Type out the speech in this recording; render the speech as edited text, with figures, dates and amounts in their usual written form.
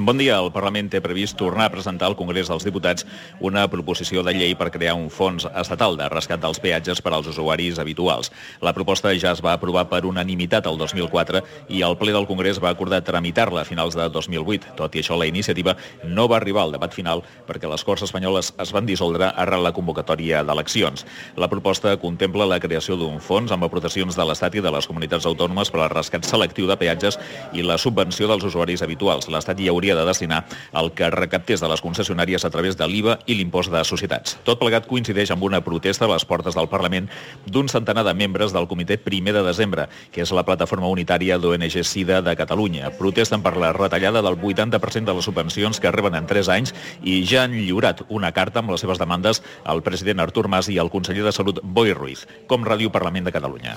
Bon dia. El Parlament té previst tornar a presentar al Congrés dels Diputats una proposició de llei per crear un fons estatal de rescat dels peatges per als usuaris habituals. La proposta ja es va aprovar per unanimitat el 2004 i el ple del Congrés va acordar tramitar-la a finals de 2008. Tot i això, la iniciativa no va arribar al debat final perquè les Corts espanyoles es van dissoldre arran la convocatòria d'eleccions. La proposta contempla la creació d'un fons amb aportacions de l'Estat i de les comunitats autònomes per al rescat selectiu de peatges i la subvenció dels usuaris habituals. L'Estat hi hauria de destinar el que recaptés de les concessionàries a través de l'IVA i l'impost de societats. Tot plegat coincideix amb una protesta a les portes del Parlament d'un centenar de membres del Comitè 1 de desembre, que és la plataforma unitària d'ONG SIDA de Catalunya. Protesten per la retallada del 80% de les subvencions que reben en 3 anys i ja han lliurat una carta amb les seves demandes al president Artur Mas i al conseller de Salut Boi Ruiz, com Ràdio Parlament de Catalunya.